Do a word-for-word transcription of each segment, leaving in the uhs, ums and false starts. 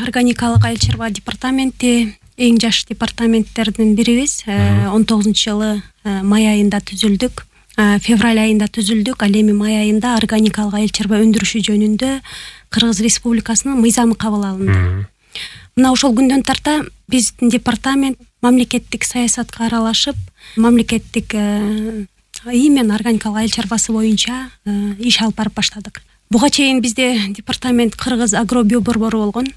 органикалык айыл чарба департаменти эң жаш департаменттердин бирибиз. он тогузунчу жылы май айында түзүлдүк. Февраль айында түзүлдүк. Ал эми май айында органикалык айыл чарба өндүрүшү жөнүндө Кыргыз Республикасынын мыйзамы кабыл алынды. Мына ошол күндөн тарта биздин департамент мамлекеттик саясатка аралашып, мамлекеттик иймен органикалык айыл чарбасы боюнча иш алып барып баштадык. Буга чейин бизде департамент Кыргыз агробио борбору болгон.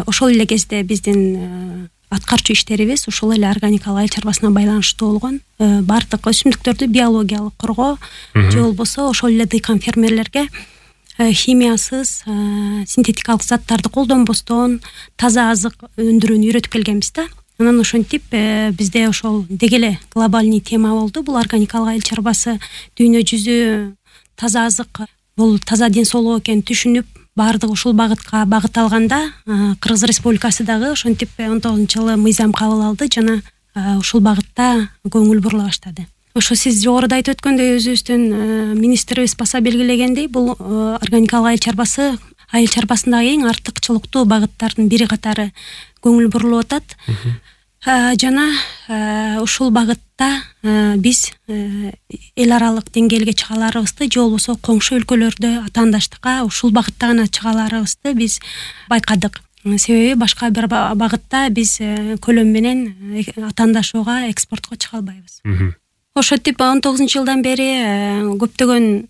Ошол эле кезде биздин аткарчу иштерибиз ошол эле органикалык айыл чарбасына байланыштуу болгон. Бардык өсүмдүктөрдү биологиялык коргоо же болбосо ошол эле дыйкан фермерлерге химиясыз, синтетикалык заттарды колдонбостон таза азык өндүрүүнү үйрөтүп келгенбиз да. Анан ошентип бизде ошол деги эле глобальный тема болду. Бул органикалык айыл чарбасы дүйнө жүзү таза азык, бул таза ден соолук экенин түшүнүп, баардык ушул багытка багыт алганда Кыргыз Республикасы дагы ошентип он тогузунчу жылы мыйзам кабыл алды жана ушул багытта көңүл бурула баштады. Ошо сиз жогоруда айтып өткөндөй, өзүбүздүн министрибиз баса белгилегендей, бул органикалык айыл чарбасы айыл чарбасындагы эң артыкчылыктуу багыттардын бири катары көңүл бурулуп атат. Жана ушул багытта биз эл аралык деңгээлге чыгаларыбызды же болбосо коңшу өлкөлөрдө атаандаштыкка ушул багытта гана чыгаларыбызды биз байкадык. Себеби башка бир багытта биз көлөм менен атаандашууга, экспортко чыга албайбыз. Ошентип он тогузунчу жылдан бери көптөгөн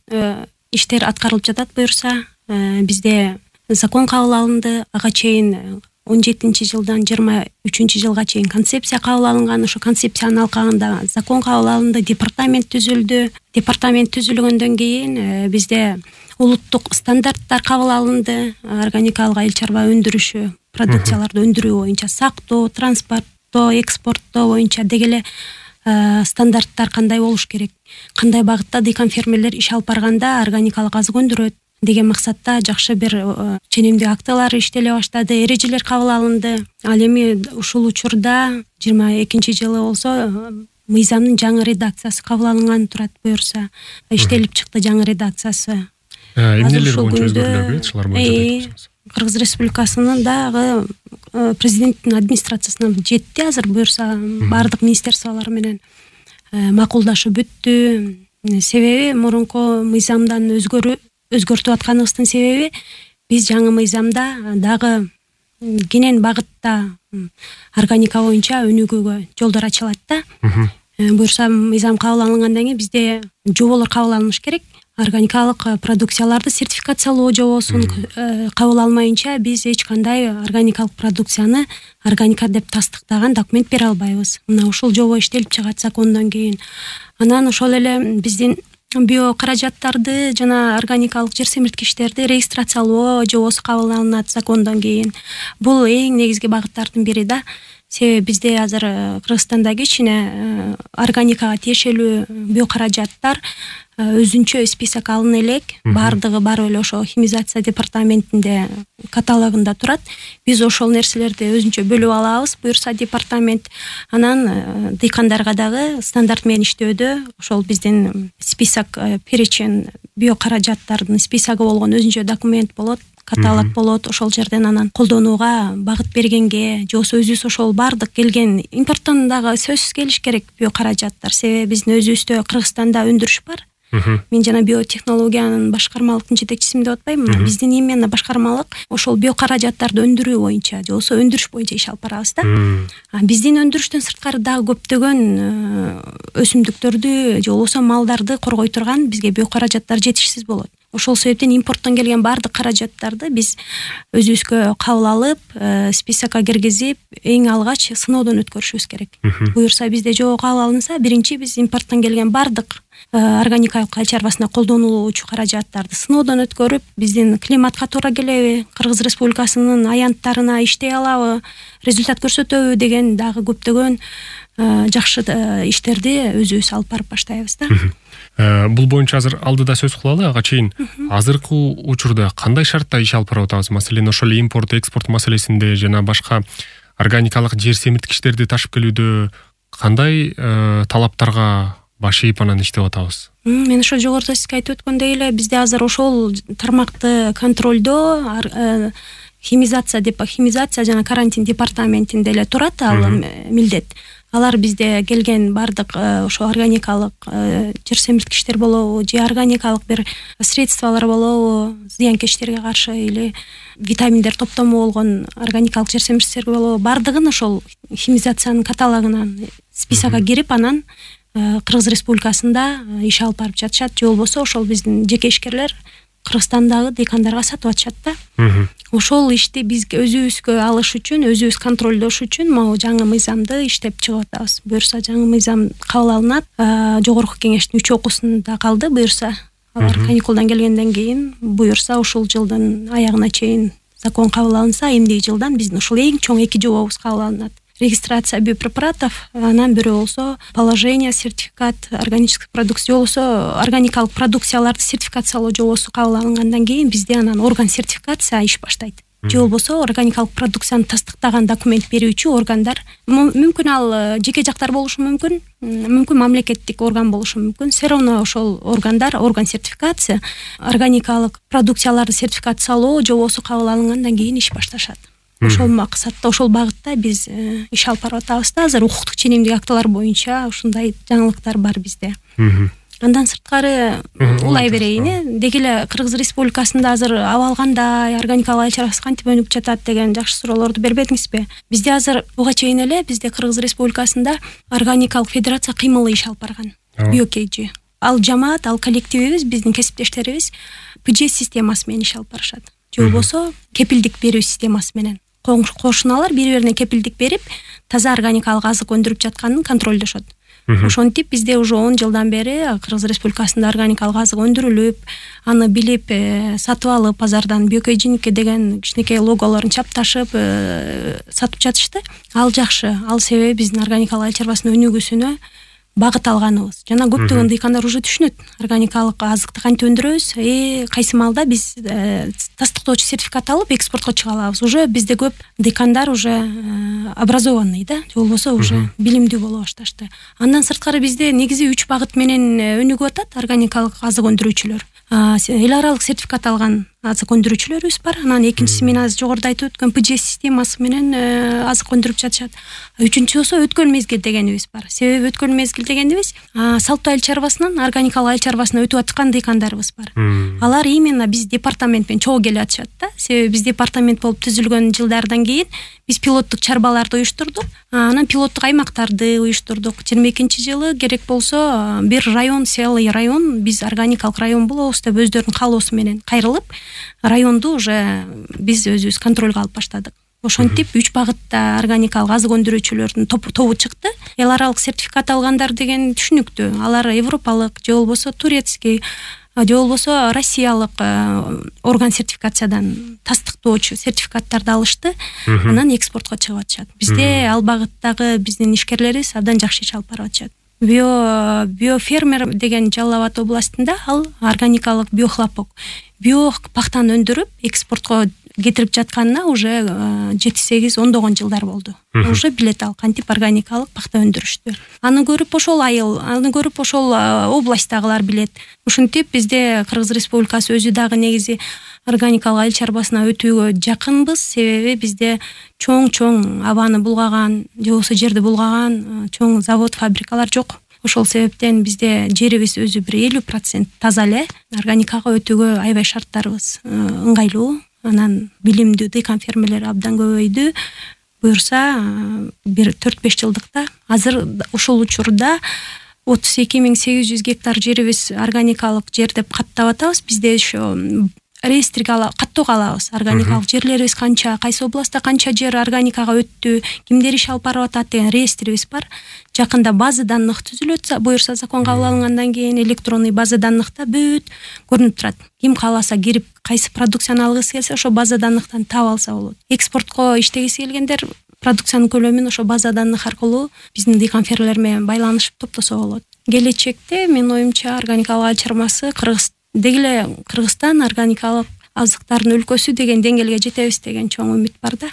иштер аткарылып жатат буюрса. Бизде закон кабыл алынды. Ага чейин он жетинчи жылдан жыйырма үчүнчү жылга чейин концепция кабыл алынган. Ошо концепциянын алкагында закон кабыл алынды, департамент түзүлдү. Департамент түзүлгөндөн кийин бизде улуттук стандарттар кабыл алынды. Органикалык айыл чарба өндүрүшү, продукцияларды өндүрүү боюнча сактоо, транспорттоо, экспорттоо боюнча деги эле стандарттар кандай болуш керек, кандай багытта дыйкан фермерлер иш алып барганда органикалык азык өндүрөт деген максатта жакшы бир ченемдик актылар иштеле баштады, эрежелер кабыл алынды. Ал эми ушул учурда жыйырма экинчи жылы болсо мыйзамдын жаңы редакциясы кабыл алынган турат буюрса, иштелип чыкты жаңы редакциясы. Эмнелер боюнча өзгөрүүлөр болот, шулар боюнча? Кыргыз Республикасынын дагы президенттин администрациясына жетти азыр буюрса, баардык министерстволор менен макулдашып бүттү. Себеби мурунку мыйзамдан өзгөрүү өзгөртүп атканыбыздын себеби биз жаңы мыйзамда дагы кенен багытта органика боюнча өнүгүүгө жолдор ачылат да. Буюрса мыйзам кабыл алынгандан кийин бизде жоболор кабыл алыныш керек. Органикалык продукцияларды сертификациялоо жобосун кабыл алмайынча биз эч кандай органикалык продукцияны органика деп тастыктаган документ бере албайбыз. Мына ушул жобо иштелип чыгат закондон кийин. Анан ошол эле биздин био каражаттарды жана органикалык жер семирткичтерди регистрациялоо жобосу кабыл алынат закондон кийин. Бул эң негизги багыттардын бири да. Себеби бизде азыр Кыргызстанда кичине органикага тиешелүү био каражаттар өзүнчө список алына элек. Бардыгы барып эле ошо химизация департаментинде каталогунда турат. Биз ошол нерселерди өзүнчө бөлүп алабыз, буюрса департамент. Анан дыйкандарга дагы стандарт менен иштөөдө ошол биздин список, перечень био каражаттардын списогу болгон өзүнчө документ болот, каталог болот. Ошол жерден анан колдонууга багыт бергенге, же болбосо өзүбүз ошол бардык келген импорттон дагы сөзсүз келиш керек био каражаттар. Себеби биздин өзүбүздө Кыргызстанда өндүрүш бар. Мен жана биотехнологиянын башкармалыктын жетекчисимин деп атпайм. Биздин именно башкармалык ошол био каражаттарды өндүрүү боюнча, же болбосо өндүрүш боюнча иш алып барабыз да. Биздин өндүрүштөн сырткары дагы көптөгөн өсүмдүктөрдү же болбосо малдарды коргой турган бизге био каражаттар жетишсиз болот. Ошол себептен импорттон келген баардык каражаттарды биз өзүбүзгө кабыл алып, списокко киргизип, эң алгач сыноодон өткөрүшүбүз керек. Буюрса бизде жобо кабыл алынса, биринчи биз импорттон келген баардык органикалык айыл чарбасына колдонулуучу каражаттарды сыноодон өткөрүп, биздин климатка туура келеби, Кыргыз Республикасынын аянттарына иштей алабы, результат көрсөтөбү деген дагы көптөгөн жакшы иштерди өзүбүз алып барып баштайбыз да. Бул боюнча азыр алдыда сөз кылалы. Ага чейин азыркы учурда кандай шартта иш алып барып атабыз? Маселен, ошол импорт, экспорт маселесинде жана башка органикалык жер семирткичтерди ташып келүүдө кандай талаптарга баш ийип анан иштеп атабыз? Мен ошо жогоруда сизге айтып өткөндөй эле бизде азыр ошол тармакты контролдоо, химизация деп химизация жана карантин департаментинде эле турат ал милдет. Алар бизде келген бардык ошо органикалык жер семирткичтер болобу же органикалык бир средстволор болобу, зыянкечтерге каршы или витаминдер топтому болгон органикалык жер семирткичтер болобу, бардыгын ошол химизациянын каталогунан списокко кирип анан Кыргыз Республикасында иш алып барып жатышат. Же болбосо ошол биздин жеке ишкерлер Кыргызстандагы дыйкандарга сатып атышат да. Ошол ишти биз өзүбүзгө алыш үчүн, өзүбүз контролдош үчүн могу жаңы мыйзамды иштеп чыгып атабыз. Буюрса жаңы мыйзам кабыл алынат. Жогорку кеңештин үч окуусунда калды. Буюрса алар каникулдан келгенден кийин, буюрса ушул жылдын аягына чейин закон кабыл алынса, эмдиги жылдан биздин ушул эң чоң эки жобобуз кабыл алынат. Регистрация биопрепаратов, анан бирөө болсо положение, сертификат, органический продукция, же болбосо органикалык продукцияларды сертификациялоо жобосу кабыл алынгандан кийин бизде анан орган сертификация иш баштайт. Же болбосо органикалык продукцияны тастыктаган документ берүүчү органдар, мүмкүн ал жеке жактар болушу мүмкүн, мүмкүн мамлекеттик орган болушу мүмкүн. Все равно ошол органдар, орган сертификация, органикалык продукцияларды сертификациялоо жобосу кабыл алынгандан кийин иш башташат. Ошол максатта, ошол багытта биз иш алып барып атабыз да. Азыр укуктук ченемдик актылар боюнча ушундай жаңылыктар бар бизде. Андан сырткары улай берейин, э деги эле Кыргыз Республикасында азыр аба кандай, органикалык айыл чарбасы кантип өнүгүп жатат деген жакшы суроолорду бербедиңизби? Бизде азыр буга чейин эле бизде Кыргыз Республикасында органикалык федерация кыймылы иш алып барган. Биокейджи. Ал жамаат, ал коллективибиз, биздин кесиптештерибиз пж системасы менен иш алып барышат. Же болбосо кепилдик берүү системасы менен. Кошуналар бири-бирине кепилдик берип, таза органикалык азык өндүрүп жатканын контролдошот. Ошентип бизде уже он жылдан бери Кыргыз Республикасында органикалык азык өндүрүлүп, аны билип, сатып алып, базардан биокейджиники деген кичинекей логолорун чапташып, сатып жатышты. Ал жакшы. Ал себеби биздин органикалык айыл чарбасынын өнүгүүсүнө багыт алганыбыз. Жана көптөгөн дыйкандар уже түшүнөт. Органикалык азыкты кантип өндүрөбүз, э кайсы малда биз тастыктоочу сертификат алып экспортко чыга алабыз. Уже бизде көп дыйкандар уже образованный да, же болбосо уже билимдүү боло башташты. Андан сырткары бизде негизи үч багыт менен өнүгүп атат органикалык азык өндүрүүчүлөр. Эл аралык сертификат алган азык өндүрүүчүлөрүбүз бар. Анан экинчиси мен азыр жогоруда айтып өткөн пж системасы менен азык өндүрүп жатышат. Үчүнчүсү болсо өткөн мезгил дегенибиз бар. Себеби өткөн мезгил дегенибиз салттуу айыл чарбасынан органикалык айыл чарбасына өтүп аткан дыйкандарыбыз бар. Алар именно биз департамент менен чогуу келип атышат да. Себеби биз департамент болуп түзүлгөн жылдардан кийин биз пилоттук чарбаларды уюштурдук. Анан пилоттук аймактарды уюштурдук. жыйырма экинчи жылы керек болсо бир район, селый район, биз органикалык район болобуз деп өздөрүнүн каалоосу менен кайрылып, районду уже биз өзүбүз контролго алып баштадык. Ошентип үч багытта органикалык азык өндүрүүчүлөрдүн тобу чыкты. Эл аралык сертификат алгандар деген түшүнүктүү. Алар европалык же болбосо турецкий, же болбосо россиялык орган сертификациядан тастыктоочу сертификаттарды алышты. Анан экспортко чыгып атышат. Бизде ал багыттагы биздин ишкерлерибиз абдан жакшы иш алып барып атышат. Био биофермер деген Жалал Абад областында ал органикалык биохлопок, био пахтаны өндүрүп экспортко кетирип жатканына уже жети сегиз ондогон жылдар болду. Уже билет ал кантип органикалык пахта өндүрүштү. Аны көрүп ошол айыл, аны көрүп ошол областтагылар билет. Ушинтип бизде Кыргыз Республикасы өзү дагы негизи органикалык айыл чарбасына өтүүгө жакынбыз. Себеби бизде чоң-чоң абаны булгаган, же болбосо жерди булгаган чоң завод, фабрикалар жок. Ошол себептен бизде жерибиз өзү бир элүү процент таза эле. Органикага өтүүгө аябай шарттарыбыз ыңгайлуу. Анан билимдүү дыйкан фермерлер абдан көбөйдү. Буюрса бир төрт беш жылдыкта азыр ушул учурда отуз эки миң сегиз жүз гектар жерибиз органикалык жер деп каттап атабыз. Бизде ошо реестрге каттоого алабыз. Органикалык жерлерибиз канча, кайсы областта канча жер органикага өттү, кимдер иш алып барып атат деген реестрибиз бар. Жакында база данных түзүлөт, буюрса закон кабыл алынгандан кийин электронный база данныхта бүт көрүнүп турат. Ким кааласа кирип, кайсы продукцияны алгысы келсе ошо база данныхтан таап алса болот. Экспортко иштегиси келгендер продукциянын көлөмүн ошо база данных аркылуу биздин дыйкан фермерлер менен байланышып топтосо болот. Келечекте менин оюмча органикалык айыл чарбасы Кыргыз деги эле Кыргызстан органикалык азыктардын өлкөсү деген деңгээлге жетебиз деген чоң үмүт бар да.